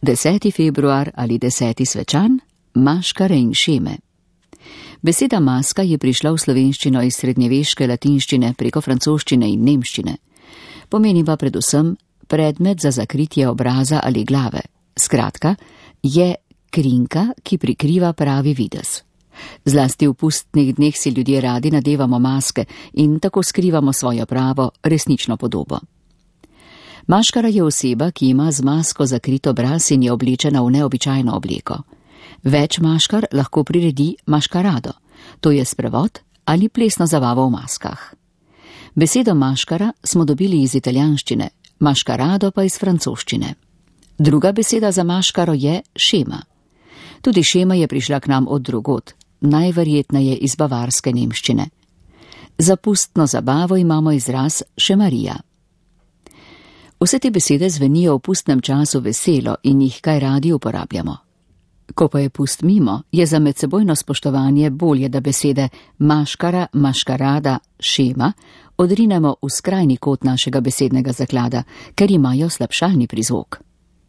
10. februar ali 10. svečan, maškare in šeme. Beseda maska je prišla v slovenščino iz srednjeveške latinščine preko francoščine in nemščine. Pomeni pa predvsem predmet za zakritje obraza ali glave. Skratka, je krinka, ki prikriva pravi videz. Zlasti v pustnih dneh si ljudje radi nadevamo maske in tako skrivamo svojo pravo, resnično podobo. Maškara je oseba, ki ima z masko zakrit obraz in je oblečena v neobičajno obleko. Več maškar lahko priredi maškarado, to je sprevod ali plesno zabavo v maskah. Besedo maškara smo dobili iz italijanščine, maškarado pa iz francoščine. Druga beseda za maškaro je šema. Tudi šema je prišla k nam od drugod, najverjetneje iz bavarske nemščine. Za pustno zabavo imamo izraz šemarija. Vse te besede zvenijo v pustnem času veselo in jih kaj radi uporabljamo. Ko pa je pust mimo, je za medsebojno spoštovanje bolje, da besede maškara, maškarada, šema odrinemo v skrajni kot našega besednega zaklada, ker imajo slabšalni prizvok.